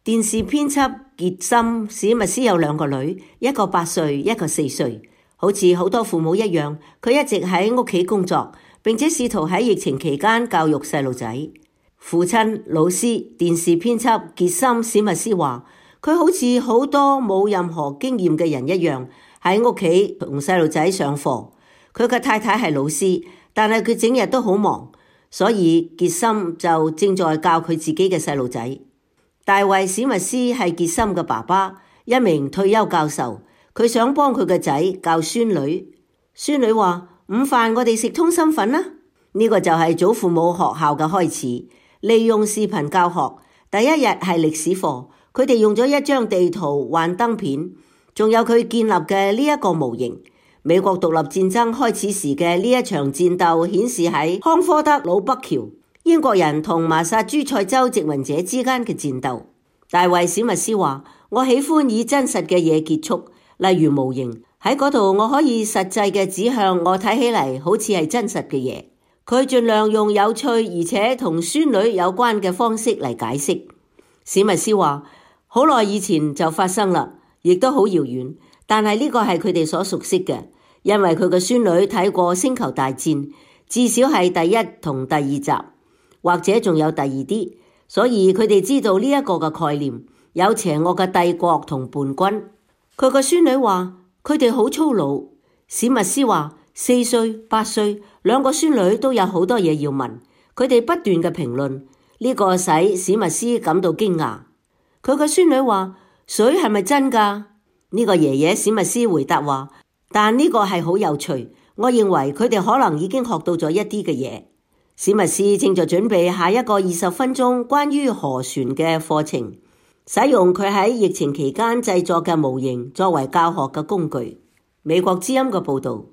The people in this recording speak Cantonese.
電視編輯傑森史密斯有2個女，一個8歲，一個4歲。好似好多父母一樣，佢一直喺屋企工作，並且試圖喺疫情期間教育細路仔。父親、老師、電視編輯傑森史密斯話，佢好似好多冇任何經驗嘅人一樣，喺屋企同細路仔上課。佢嘅太太係老師，但係佢整日都好忙，所以傑森就正在教佢自己嘅細路仔。大衛史密斯係傑森嘅爸爸，一名退休教授。佢想幫佢個仔教孫女。孫女話：午飯我哋食通心粉啦。呢個就係祖父母學校嘅開始，利用視頻教學。第一日係歷史課，佢哋用咗一張地圖、幻燈片，仲有佢建立嘅呢一個模型。美國獨立戰爭開始時嘅呢一場戰鬥顯示喺康科德魯北橋，英國人同麻薩諸塞州殖民者之間嘅戰鬥。大衛史密斯話：我喜歡以真實嘅嘢結束。例如模型，喺嗰度我可以實際嘅指向我睇起嚟好似係真實嘅嘢。佢盡量用有趣而且同孫女有關嘅方式嚟解釋。史密斯話：好耐以前就發生啦，亦都好遙遠，但係呢個係佢哋所熟悉嘅，因為佢嘅孫女睇過星球大戰，至少係第1同第2集，或者仲有第2啲，所以佢哋知道呢一個嘅概念，有邪惡嘅帝國同叛軍。佢個孫女話佢哋好粗魯。史密斯話4歲、8歲2個孫女都有好多嘢要問，佢哋不斷嘅評論，呢個使史密斯感到驚訝。佢個孫女話水係咪真㗎？呢個爺爺史密斯回答話，但呢個係好有趣，我認為佢哋可能已經學到咗一啲嘅嘢。史密斯正在準備下一個20分鐘關於河船嘅課程。使用佢喺疫情期間製作嘅模型作為教學嘅工具。美國之音嘅報導。